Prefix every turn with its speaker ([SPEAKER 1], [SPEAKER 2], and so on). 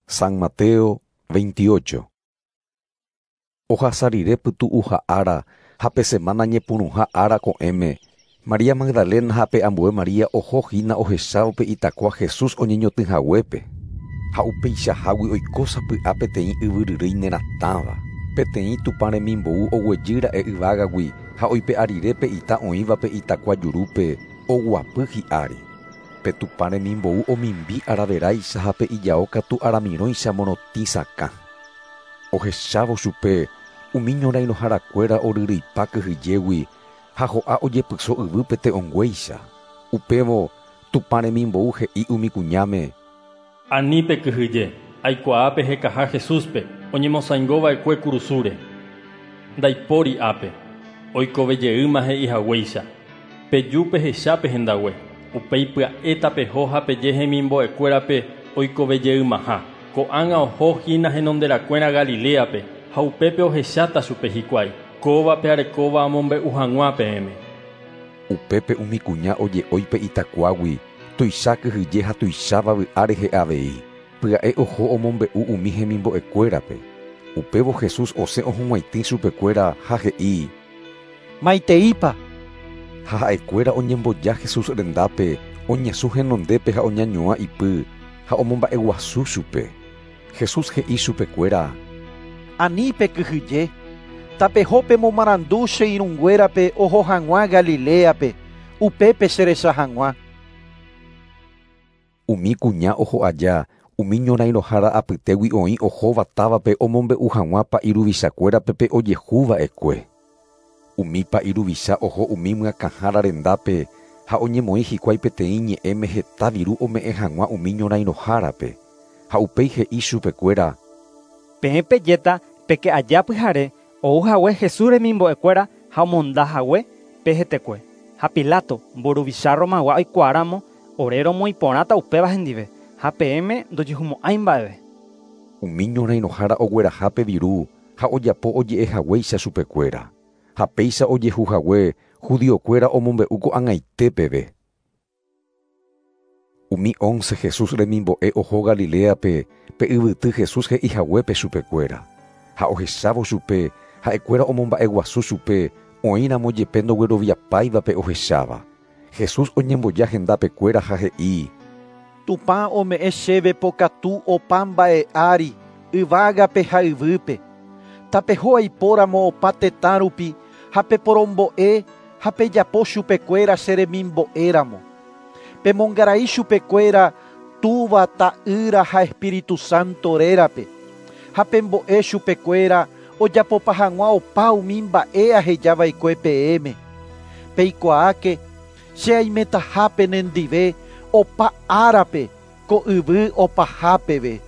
[SPEAKER 1] San Mateo 28. Ohasa rire pytu'uha ára ha pe semana ñepyrũha ára ko'ẽme, María Magdalena ha pe ambue María oho hína ohechávo pe itakua Jesús oñeñotỹhaguépe. Ha upeichahágui oiko sapy'a peteĩ yvyryrýi neratãva. Peteĩ Tupã remimbou oguejýra'e yvágagui ha oipe'a rire pe ita oĩva pe itakua jurúpe oguapy hi'ári. Pe Tupã remimbou omimbi araveráicha ha pe ijao katu aramirõicha morotĩ sakã. Ohechávo chupe umi ñorairõharakuéra oryryipa kyhyjégui ha ho'a ojepyso yvýpe te'õnguéicha. Upévo Tupã remimbou he'i umi kuñáme:
[SPEAKER 2] Ani pekyhyje, aikuaa pehekaha Jesúspe, oñemosãingova'ekue kurusúre. Ndaipóri ápe, oikovejeýma he'ihaguéicha. Peju pehechápe hendague. Upéi pya'e tapeho ha peje hemimbo'ekuérape oikovejeymaha. Ko'ág̃a oho hína henonderakuéra Galileape ha upépe ohecháta chupe hikuái. Kóvape arekóva amombe'u hag̃ua peẽme.
[SPEAKER 1] Upépe umi kuña oje'ói pe itakuágui, tuicha kyhyje ha tuicháva vy'a rehe avei. Pya'e oho omombe'u umi hemimbo'ekuérape. Upévo Jesús osẽ ohug̃uaitĩ chupekuéra ha he'i:
[SPEAKER 3] Maiteípa.
[SPEAKER 1] Ha ha'ekuéra oñemboja Jesús rendápe, oñesũ henondépe ha oñañuã ipy ha omomba'eguasu chupe. Jesús he'i chupekuéra:
[SPEAKER 3] Ani pekyhyje, tapeho pemomarandu che irũnguérape oho hag̃ua Galileape, upépe cherecha hag̃ua.
[SPEAKER 1] Umi kuña oho aja, umi ñorairõhára apytégui oĩ ohóva távape omombe'u hag̃ua pa'i ruvichakuérape pe ojehuva'ekue. Umi pa'i ruvicha oho umi myakãhára rendápe ha oñemoĩ hikuái peteĩ ñe'ẽme heta viru ome'ẽ hag̃ua umi ñorairõhárape. Ha upéi he'i chupekuéra:
[SPEAKER 4] Peẽ pejéta peke aja pyhare ouhague Jesús remimbo'ekuéra ha omondahague pe hetekue. Ha Pilato mburuvicha Romagua oikuaáramo ore romoĩporãta upéva hendive ha peẽme ndojehumo'ãi mba'eve.
[SPEAKER 1] Umi ñorairõhára ogueraha pe viru ha ojapo oje'ehaguéicha chupekuéra. Ha péicha ojehuhague judiokuéra omombe'u ko'ag̃aite peve. Umi 11 Jesús remimbo'e oho Galileape pe yvyty Jesús he'ihaguépe chupekuéra. Ha ohechávo chupe, ha'ekuéra omomba'eguasu chupe oĩramo jepe ndogueroviapáivape ohecháva. Jesús oñemboja hendapekuéra ha he'i:
[SPEAKER 3] Tupã ome'ẽ chéve pokatu opa mba'e ári, yvágape ha yvýpe. Tapeho aipóramo opa tetã rupi ha peporombo'e ha pejapo chupekuéra che remimbo'éramo. Pemongarai chupekuéra Túva, Ta'ýra ha Espíritu Santo rérape. Ha pembo'e chupekuéra ojapopa hag̃ua opa umi mba'e ahejava'ekue peẽme. Peikuaáke che aimetaha penendive opa árape ko yvy opaha peve.